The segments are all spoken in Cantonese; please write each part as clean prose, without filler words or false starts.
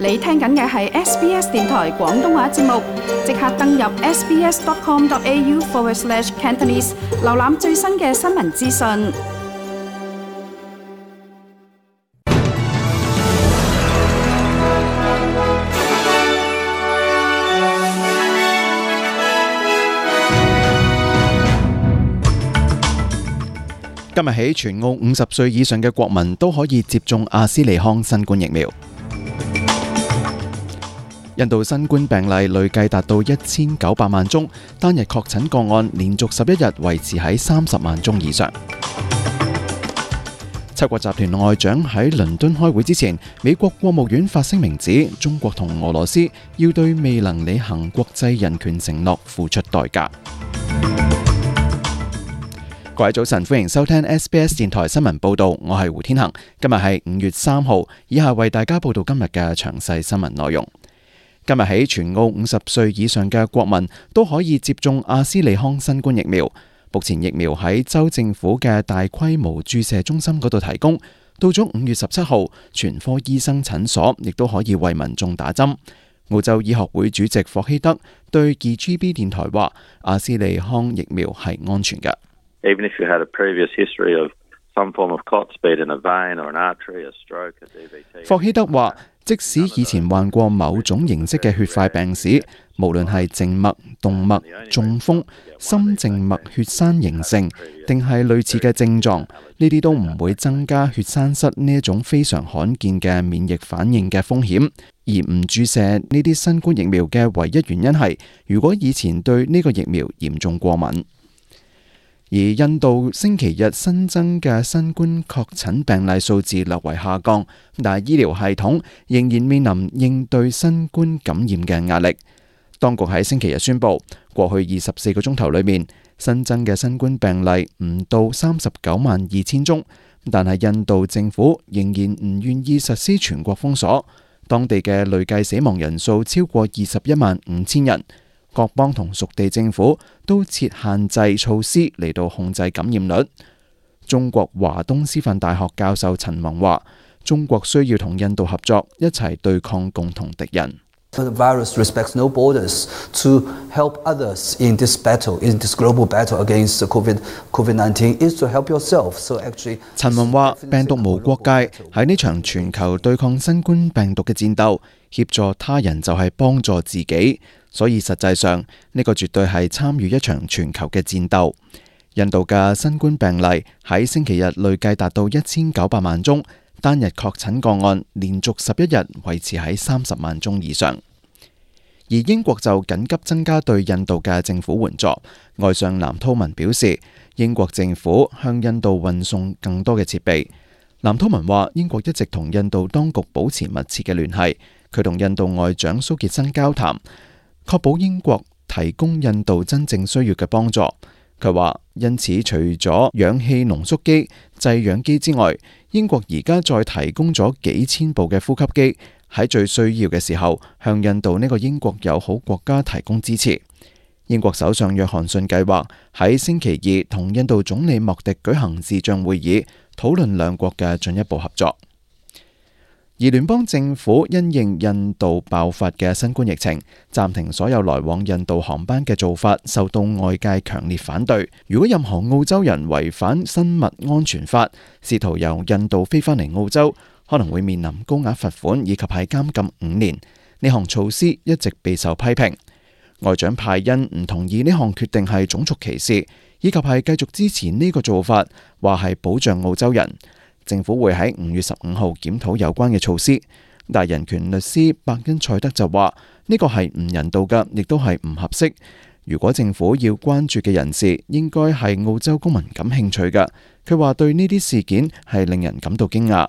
你聽緊嘅係 SBS 電台廣東話節目，即刻登入 sbs.com.au/Cantonese 瀏覽最新嘅新聞資訊。今日起，全澳50歲以上嘅國民都可以接種阿斯利康新冠疫苗。印度新冠病例累計達到1900萬宗，單日確診個案連續11日維持喺30萬宗以上。七國集團外長喺倫敦開會之前，美國國務院發聲明指，中國同俄羅斯要對未能履行國際人權承諾付出代價。各位早晨，歡迎收聽 SBS 電台新聞報道，我係胡天恒。今日係5月3號，以下為大家報道今日嘅詳細新聞內容。今日起，全澳50歲以上嘅國民都可以接種阿斯利康新冠疫苗。目前疫苗喺州政府嘅大規模注射中心嗰度提供，到咗5月17號，全科醫生診所亦都可以為民眾打針。澳洲醫學會主席霍希德對 2GB 電台話，阿斯利康疫苗係安全嘅。Even if you had a previous history of some form of clot speed in a vein or an artery, a stroke, a DVT。霍希德話，即使以前患過某種形式嘅血塊病史，無論係靜脈、動脈、中風、心靜脈血栓形成，定係類似嘅症狀，呢啲都唔會增加血栓塞呢一種非常罕見嘅免疫反應嘅風險。而唔注射呢啲新冠疫苗嘅唯一原因係，如果以前對呢個疫苗嚴重過敏。而印度星期日新增嘅新冠確診病例數字略為下降，但係醫療系統仍然面臨應對新冠感染嘅壓力。當局喺星期日宣布，過去24個鐘頭裏面新增嘅新冠病例唔到392000宗，但係印度政府仍然唔願意實施全國封鎖，當地嘅累計死亡人數超過215000人。各邦同屬地政府都設限制措施嚟到控制感染率。中國華東師範大學教授陳宏話，中國需要同印度合作，一齊對抗共同敵人。The virus respects no borders. To help others in this battle, in this global battle against COVID-19, is to help yourself. So actually， 陳宏話，病毒無國界，喺呢場全球對抗新冠病毒嘅戰鬥，協助他人就係幫助自己。所以實際上，呢個絕對係參與一場全球嘅戰鬥。印度嘅新冠病例喺星期日累計達到1900萬宗，單日確診個案連續11日維持喺30萬宗以上。而英國就緊急增加對印度嘅政府援助。外相藍韜文表示，英國政府向印度運送更多嘅設備。藍韜文話，英國一直同印度當局保持密切嘅聯繫，佢同印度外長蘇傑生交談，確保英國提供印度真正需要嘅幫助。佢話，因此除咗氧氣濃縮機、製氧機之外，英國而家再提供咗幾千部嘅呼吸機，喺最需要嘅時候向印度呢個英國友好國家提供支持。英國首相約翰遜計劃喺星期二同印度總理莫迪舉行視像會議，討論兩國嘅進一步合作。而聯邦政府因應印度爆發嘅新冠疫情，暫停所有來往印度航班嘅做法受到外界強烈反對。如果任何澳洲人違反生物安全法，試圖由印度飛返嚟澳洲，可能會面臨高額罰款以及係監禁5年。呢項措施一直備受批評。外長派恩唔同意呢項決定係種族歧視，以及係繼續支持呢個做法，話係保障澳洲人。政府會喺5月15號檢討有關嘅措施，但人權律師伯恩賽德就話呢個係唔人道嘅，亦都係唔合適。如果政府要關注嘅人士，應該係澳洲公民感興趣嘅。佢話對呢啲事件係令人感到驚訝。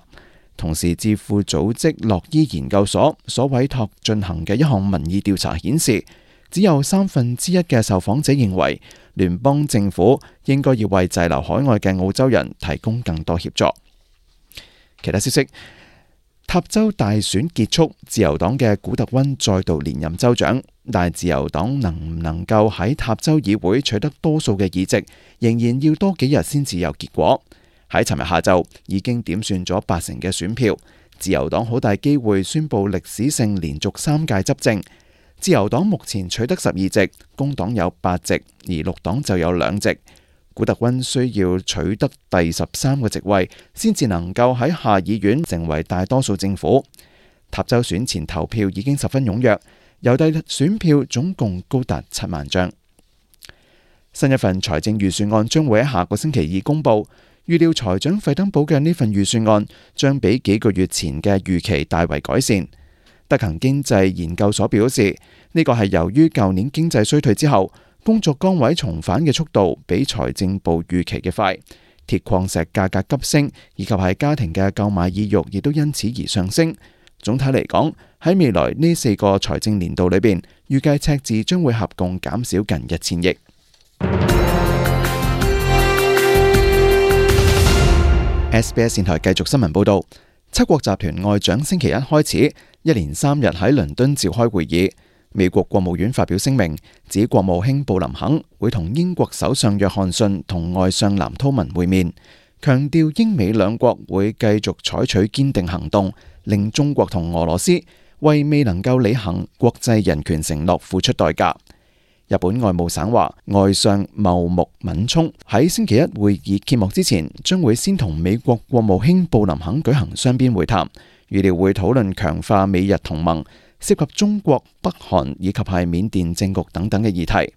同時，智庫組織樂醫研究所所委託進行嘅一項民意調查顯示，只有1/3嘅受訪者認為聯邦政府應該要為滯留海外嘅澳洲人提供更多協助。其他消息，塔州大選結束，自由黨嘅古特溫再度連任州長，但係自由黨能唔能夠喺塔州議會取得多數嘅議席，仍然要多幾日先至有結果。喺尋日下晝已經點算咗80%嘅選票，自由黨好大機會宣布歷史性連續3屆執政。自由黨目前取得12席，工黨有8席，而綠黨就有2席。古特溫需要取得第13個席位，先至能夠喺下議院成為大多數政府。塔州選前投票已經十分踴躍，郵遞選票總共高達7萬張。新一份財政預算案將會喺下個星期2公佈，預料財長費登堡嘅呢份預算案將比幾個月前嘅預期大為改善。德勤經濟研究所表示，呢個係由於舊年經濟衰退之後，工作崗位重返嘅速度比財政部預期嘅快，鐵礦石價格急升，以及係家庭嘅購買意欲亦都因此而上升。總體嚟講，喺未來呢4個財政年度裏邊，預計赤字將會合共減少近1000億。SBS 電台繼續新聞報導，七國集團外長星期一開始一連3日喺倫敦召開會議。美國國務院發表聲明，指國務卿布林肯會同英國首相約翰遜同外相藍韜文會面，強調英美兩國會繼續採取堅定行動，令中國同俄羅斯為未能夠履行國際人權承諾付出代價。日本外務省話，外相茂木敏充喺星期一會議揭幕之前，將會先同美國國務卿布林肯舉行雙邊會談，預料會討論強化美日同盟，涉及中國、北韓以及係緬甸政局等等嘅議題。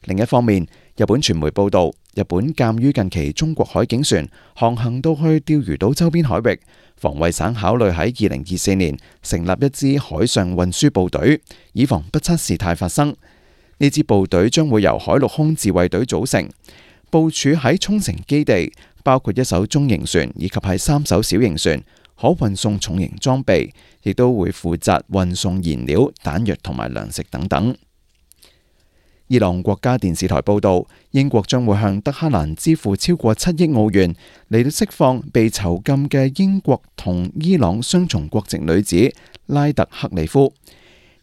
另一方面，日本傳媒報道，日本鑑於近期中國海警船航行到去釣魚島周邊海域，防衛省考慮喺2024年成立一支海上運輸部隊，以防不測事態發生。呢支部隊將會由海陸空自衛隊組成，部署喺沖繩基地，包括1艘中型船以及係3艘小型船，可運送重型裝備，亦都會負責運送燃料、彈藥同埋糧食等等。伊朗國家電視台報道，英國將會向德黑蘭支付超過7億澳元嚟到釋放被囚禁嘅英國同伊朗雙重國籍女子拉特克里夫。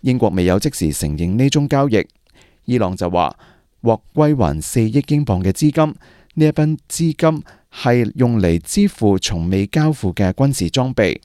英國未有即時承認呢宗交易。伊朗就話獲歸還4億英鎊嘅資金，呢一筆資金係用嚟支付從未交付嘅軍事裝備。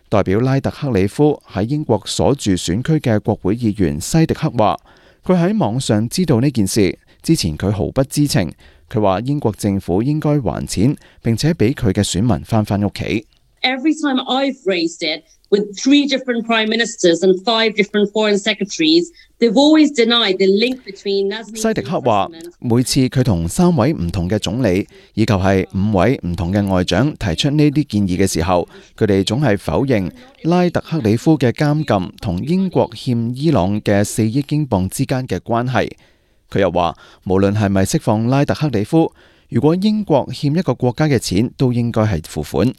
代表拉特克里夫喺英國所住選區嘅國會議員西迪克話，佢喺網上知道呢件事，之前佢毫不知情。佢話英國政府應該還錢，並且俾佢嘅選民返屋企。Every time I've raised it with 3 different prime ministers and 5 different foreign secretaries, they've always denied the link between Nazanin。西迪克話，每次佢同3位唔同嘅總理以及係5位唔同嘅外長提出呢啲建議嘅時候，佢哋總係否認拉特克里夫嘅監禁同英國欠伊朗嘅4億英鎊之間嘅關係。佢又話，無論係咪釋放拉特克里夫，如果英國欠一個國家嘅錢，都應該係付款。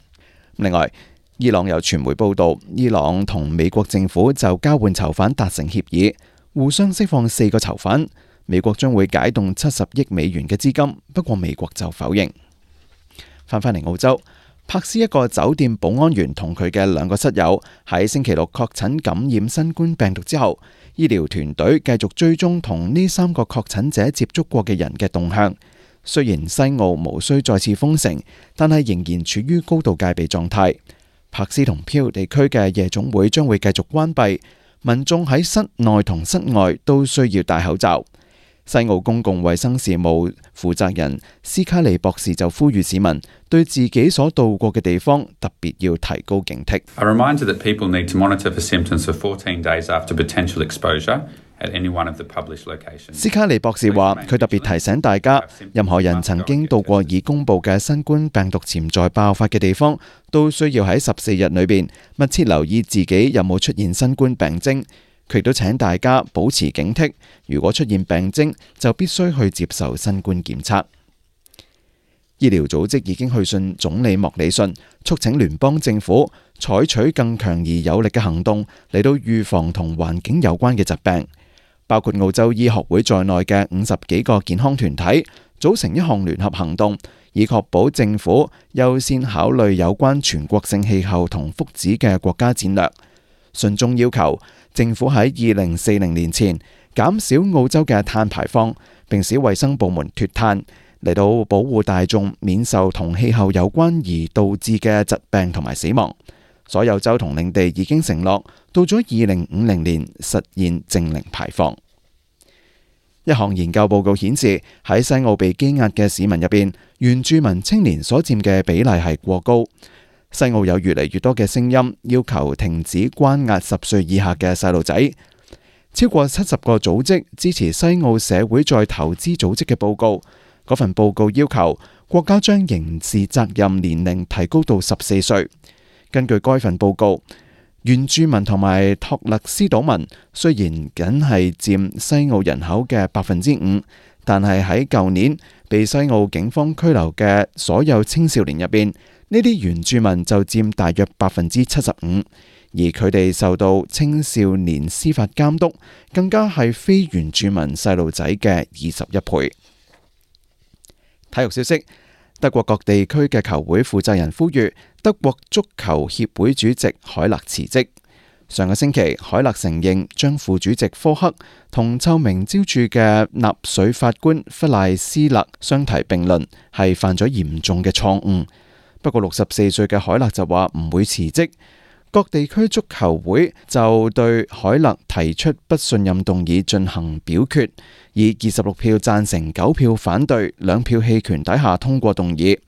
另外，伊朗有傳媒報道，伊朗同美國政府就交換囚犯達成協議，互相釋放4個囚犯。美國將會解凍70億美元嘅資金，不過美國就否認。返嚟澳洲，柏斯一個酒店保安員同佢嘅2個室友喺星期6確診感染新冠病毒之後，醫療團隊繼續追蹤同呢3個確診者接觸過嘅人嘅動向。雖然西澳無需再次封城，但係仍然處於高度戒備狀態。柏斯同飄地區嘅夜總會將會繼續關閉，民眾喺室內同室外都需要戴口罩。西澳公共衛生事務負責人斯卡利博士就呼籲市民對自己所到過嘅地方特別要提高警惕。A reminder that people need to monitor for symptoms for 14 days after potential exposure at any one of the published locations。斯卡利博士話，佢特別提醒大家，任何人曾經到過已公佈嘅新冠病毒潛在爆發嘅地方，都需要喺14日裏邊密切留意自己有冇出現新冠病徵。佢亦都請大家保持警惕，如果出現病徵，就必須去接受新冠檢測。醫療組織已經去信總理莫里遜，促請聯邦政府採取更強而有力嘅行動嚟到預防同環境有關嘅疾病。包括澳洲醫學會在內嘅50幾個健康團體組成一項聯合行動，以確保政府優先考慮有關全國性氣候同福祉嘅國家戰略。信中要求政府喺2040年前減少澳洲嘅碳排放，並使衛生部門脫碳，嚟到保護大眾免受同氣候有關而導致嘅疾病同埋死亡。所有州同領地已經承諾到咗2050年實現淨零排放。一項研究報告顯示，喺西澳被羈押嘅市民入邊，原住民青年所佔嘅比例係過高。西澳有越嚟越多嘅聲音要求停止關押10歲以下嘅細路仔。超過70個組織支持西澳社會再投資組織嘅報告。嗰份報告要求國家將刑事責任年齡提高到14歲。根據該份報告，原住民同埋托勒斯島民雖然僅係佔西澳人口嘅5%，但係喺舊年被西澳警方拘留嘅所有青少年入邊，呢啲原住民就佔大約75%，而佢哋受到青少年司法監督，更加係非原住民細路仔嘅21倍。體育消息，德國各地區嘅球會負責人呼籲德國足球協會主席海勒辭職。上個星期，海勒承認將副主席科克同臭名昭著嘅納粹法官弗賴斯勒相提並論，係犯咗嚴重嘅錯誤。不過64歲嘅海勒就話唔會辭職。各地區足球會就對海勒提出不信任動議進行表決，以26票贊成、9票反對、2票棄權底下通過動議。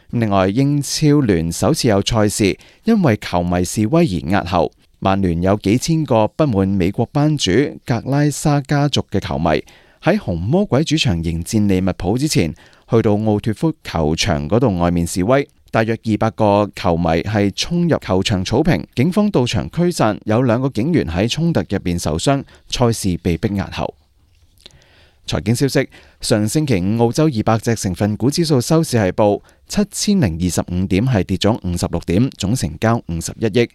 另外，英超聯首次有賽事因為球迷示威而押後。曼聯有幾千個不滿美國班主格拉沙家族嘅球迷喺紅魔鬼主場迎戰利物浦之前，去到奧脫福球場嗰度外面示威。大約200個球迷係衝入球場草坪，警方到場驅散，有2個警員喺衝突入邊受傷，賽事被迫押後。財經消息，上星期五澳洲200隻成分股指數收市係報7025點，係跌咗56點，總成交51億。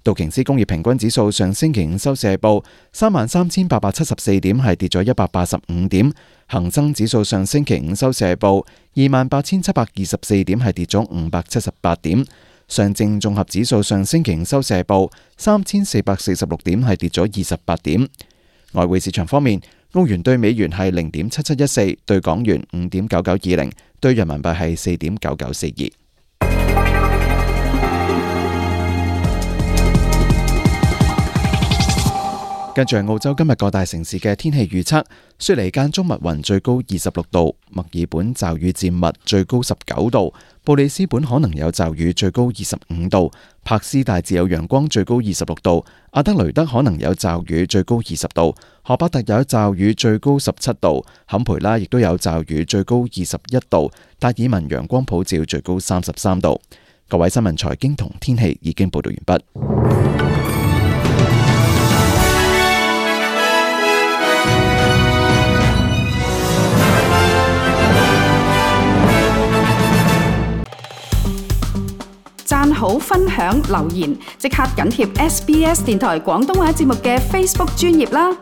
道瓊斯工業平均指數上星期五收市係報33,874點，係跌咗185點。恒生指數上星期五收市係報28,724點，係跌咗578點。上證綜合指數上星期五收市係報3,446點，係跌咗28點。外匯市場方面，澳元對美元係0.7714，對港元5.9920，對人民幣係4.9942。跟住係澳洲今日各大城市嘅天氣預測：雪梨間中密雲，最高26度；墨爾本驟雨漸密，最高19度；布里斯本可能有驟雨，最高25度；柏斯大致有陽光，最高26度；阿德雷德可能有驟雨，最高20度；荷巴特有驟雨，最高17度；坎培拉亦都有驟雨，最高21度；達爾文陽光普照，最高33度。各位新聞財經同天氣已經報道完畢。讚好、分享、留言，即刻緊貼SBS 電台廣東話節目嘅 Facebook 專頁啦！